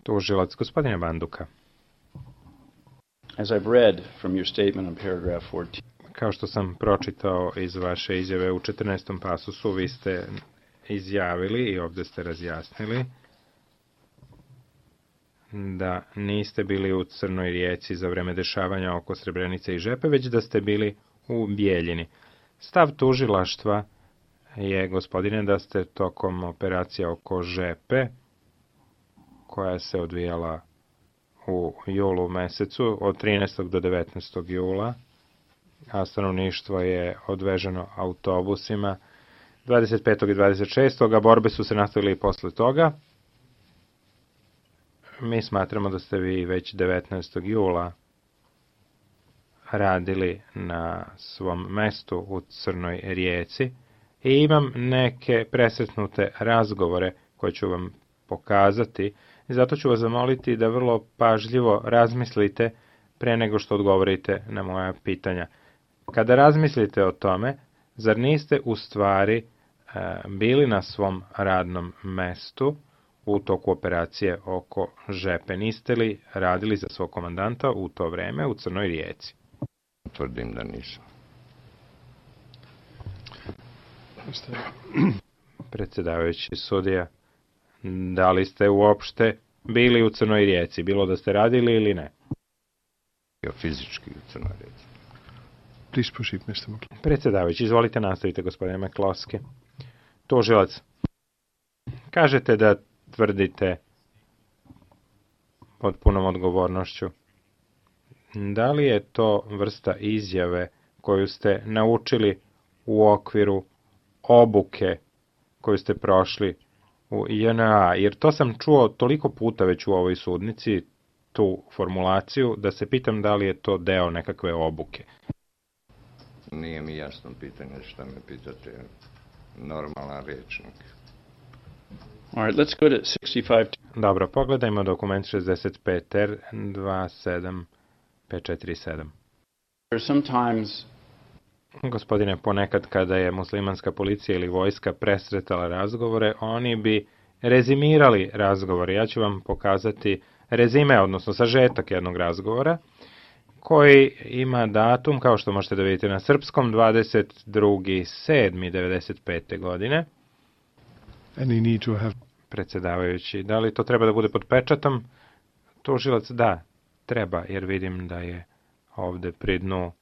Tužilac, gospodine Banduka. As I've read from your statement on paragraph 14. Kao što sam pročitao iz vaše izjave u 14. pasusu, vi ste izjavili i ovde ste razjasnili da niste bili u Crnoj Rijeci za vreme dešavanja oko Srebrenice i Žepe, već da ste bili u Bijeljini. Stav tužilaštva je, gospodine, da ste tokom operacija oko Žepe, koja se odvijala u julu mesecu, od 13. do 19. jula, a stanovništvo je odveženo autobusima 25. i 26. a borbe su se nastavile i posle toga. Mi smatramo da ste vi već 19. jula radili na svom mestu u Crnoj Rijeci i imam neke presretnute razgovore koje ću vam pokazati i zato ću vas zamoliti da vrlo pažljivo razmislite pre nego što odgovorite na moja pitanja. Kada razmislite o tome, zar niste u stvari bili na svom radnom mestu u toku operacije oko Žepe? Niste li radili za svog komandanta u to vreme u Crnoj Rijeci? Tvrdim da nisam. Predsedavajući sudija, da li ste uopšte bili u Crnoj Rijeci, bilo da ste radili ili ne? Bio fizički u Crnoj Rijeci. Please proceed, Mr. McCloskey. Predsedavajući, izvolite nastavite, gospodine McCloskey. Tužilac, kažete da tvrdite pod punom odgovornošću. Da li je to vrsta izjave koju ste naučili u okviru obuke koju ste prošli u JNA? Jer to sam čuo toliko puta već u ovoj sudnici, tu formulaciju, da se pitam da li je to deo nekakve obuke. Nije mi jasno pitanje šta me pitate. Normalan rečnik. All right, let's go to 65. Dobro, pogledajmo dokument 65R 27547. Sometimes Gospodine, ponekad kada je muslimanska policija ili vojska presretala razgovore, oni bi rezimirali razgovore. Ja ću vam pokazati rezime, odnosno sažetak jednog razgovora, koji ima datum, kao što možete da vidite na srpskom, 22.7.95. godine. Predsedavajući, da li to treba da bude pod pečatom? Tužilac, da, treba, jer vidim da je ovde pri dnu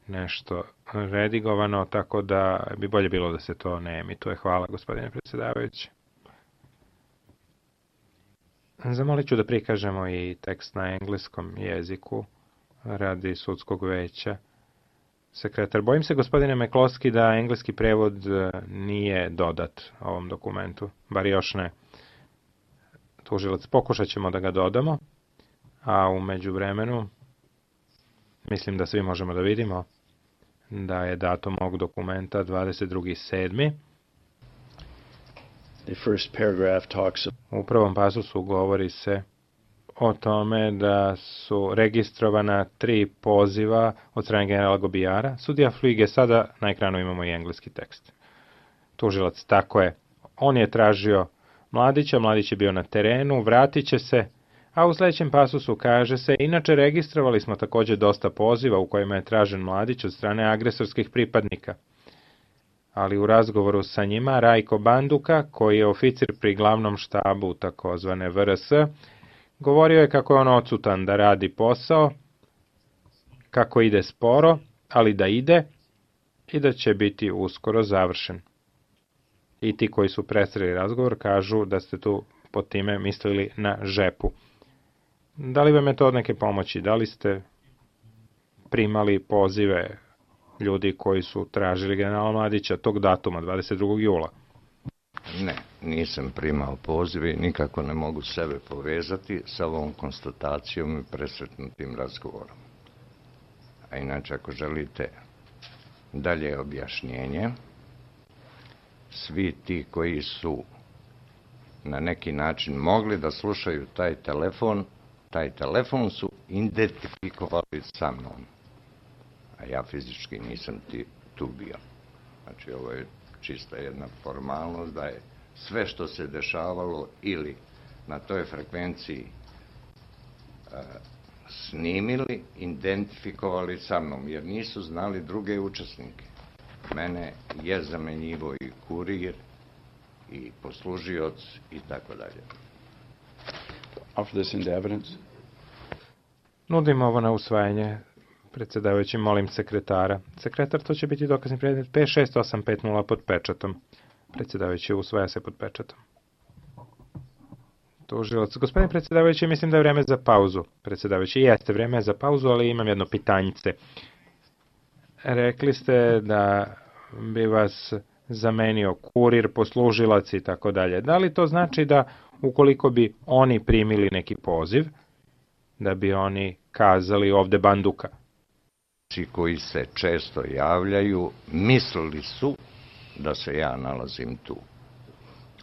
nešto redigovano, tako da bi bolje bilo da se to ne emituje. Hvala, gospodine predsedavajući. Zamolit ću da prikažemo i tekst na engleskom jeziku radi sudskog veća. Sekretar, bojim se, gospodine McCloskey, da engleski prevod nije dodat ovom dokumentu, bar još ne. Tužilac, pokušat ćemo da ga dodamo, a u međuvremenu mislim da svi možemo da vidimo da je datum ovog dokumenta 22.7. U prvom pasusu govori se o tome da su registrovana 3 poziva od strane generala Gobijara. Sudija Fluige, sada na ekranu imamo i engleski tekst. Tužilac, tako je. On je tražio Mladića, Mladić je bio na terenu, vratit će se, a u sledećem pasusu kaže se, inače registrovali smo takođe dosta poziva u kojima je tražen Mladić od strane agresorskih pripadnika. Ali u razgovoru sa njima Rajko Banduka, koji je oficir pri glavnom štabu takozvane VRS, govorio je kako je on odsutan da radi posao, kako ide sporo, ali da ide i da će biti uskoro završen. I ti koji su presreli razgovor kažu da ste tu pod time mislili na Žepu. Da li vam je to od neke pomoći? Da li ste primali pozive ljudi koji su tražili generala Mladića tog datuma, 22. jula? Ne, nisam primao pozive i nikako ne mogu sebe povezati sa ovom konstatacijom i presretnutim razgovorom. A inače, ako želite dalje objašnjenje, svi ti koji su na neki način mogli da slušaju taj telefon su identifikovali sa mnom. A ja fizički nisam tu bio. Znači, ovo je čista jedna formalnost da je sve što se dešavalo ili na toj frekvenciji snimili, identifikovali sa mnom, jer nisu znali druge učesnike. Mene je zamenjivo i kurir, i poslužioc, i tako dalje. Offer this into evidence. Nudim ovo na usvajanje. Predsjedavajući, molim sekretara. Sekretar, to će biti dokazni predmet 56850 pod pečatom. Predsjedavajući, usvaja se pod pečatom. Tužilac, gospodine predsjedavajući, mislim da je vreme za pauzu. Predsjedavajući, jeste vreme za pauzu, ali imam jedno pitanjice. Rekli ste da bi vas zamenio kurir, poslužilac i tako dalje. Da li to znači da ukoliko bi oni primili neki poziv, da bi oni kazali ovde Banduka? Koji se često javljaju, mislili su da se ja nalazim tu.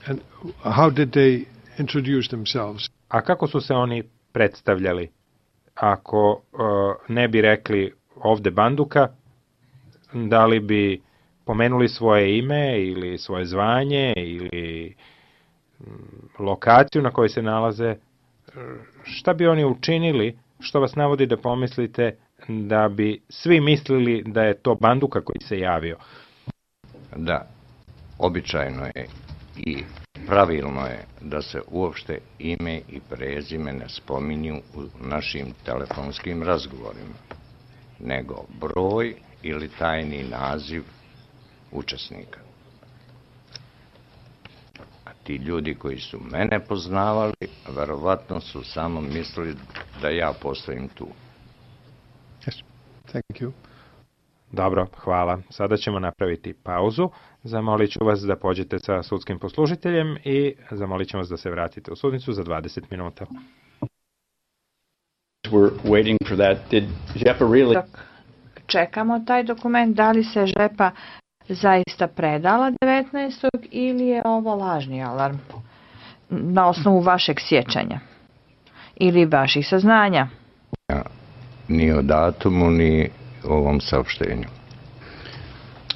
And how did they introduce themselves? A kako su se oni predstavljali? Ako ne bi rekli ovde Banduka, da li bi pomenuli svoje ime ili svoje zvanje ili lokaciju na kojoj se nalaze? Šta bi oni učinili što vas navodi da pomislite da bi svi mislili da je to Banduka koji se javio? Da, običajno je i pravilno je da se uopšte ime i prezime ne spominju u našim telefonskim razgovorima, nego broj ili tajni naziv učesnika. A ti ljudi koji su mene poznavali, verovatno su samo mislili da ja postojim tu. Yes, thank you. Dobro, hvala. Sada ćemo napraviti pauzu. Zamolit ću vas da pođete sa sudskim poslužiteljem i zamolit ćemo vas da se vratite u sudnicu za 20 minuta. We're waiting for that. Did Žepa really... Dok čekamo taj dokument, da li se Žepa zaista predala 19. ili je ovo lažni alarm na osnovu vašeg sjećanja ili vaših saznanja? Ni o datumu, ni o ovom saopštenju.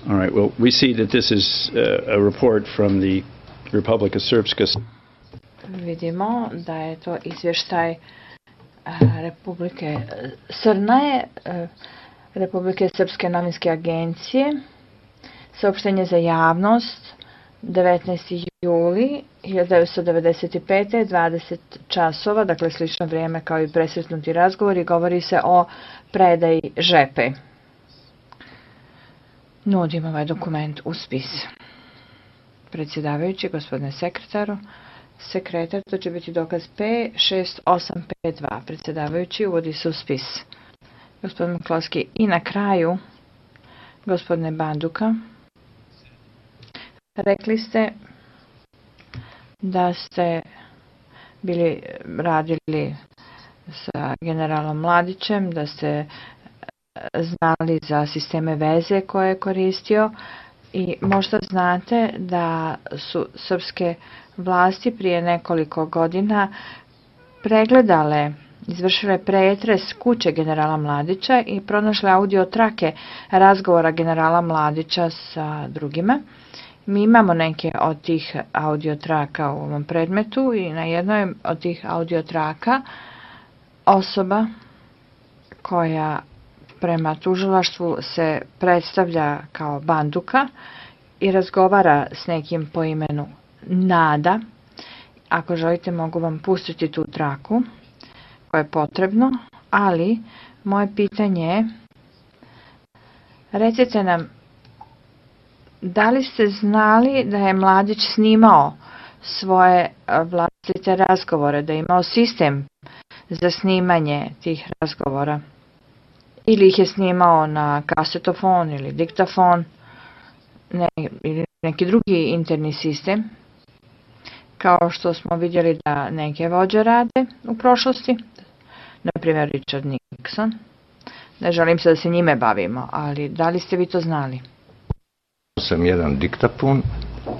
All right, well, we see that this is a report from the Republika Srpska. Vidimo da je to izvještaj Republike Srnaje, Republike Srpske novinske agencije, saopštenje za javnost, 19. juli 1995. 20 časova, dakle slično vrijeme kao i presretnuti razgovor, i govori se o predaji Žepe. Nudim ovaj dokument u spis. Predsjedavajući, gospodine sekretaru, sekretar, to će biti dokaz P6852. Predsjedavajući, uvodi se u spis. Gospodin Miklovski, i na kraju, gospodine Banduka, rekli ste da ste radili sa generalom Mladićem, da ste znali za sisteme veze koje je koristio i možda znate da su srpske vlasti prije nekoliko godina pregledale, izvršile pretres kuće generala Mladića i pronašle audio trake razgovora generala Mladića sa drugima. Mi imamo neke od tih audio traka u ovom predmetu i na jednoj od tih audio traka osoba koja prema tužilaštvu se predstavlja kao Banduka i razgovara s nekim po imenu Nada. Ako želite, mogu vam pustiti tu traku koje je potrebno, ali moje pitanje je, recite nam, da li ste znali da je Mladić snimao svoje vlastite razgovore, da je imao sistem za snimanje tih razgovora? Ili ih je snimao na kasetofon ili diktafon ili neki drugi interni sistem, kao što smo vidjeli da neke vođe rade u prošlosti, na primjer Richard Nixon. Ne želim se da se njime bavimo, ali da li ste vi to znali? Sam jedan diktafon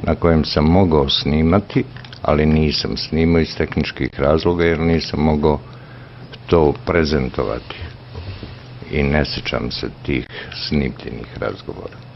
na kojem sam mogao snimati, ali nisam snimao iz tehničkih razloga jer nisam mogao to prezentovati i ne sjećam se tih snimljenih razgovora.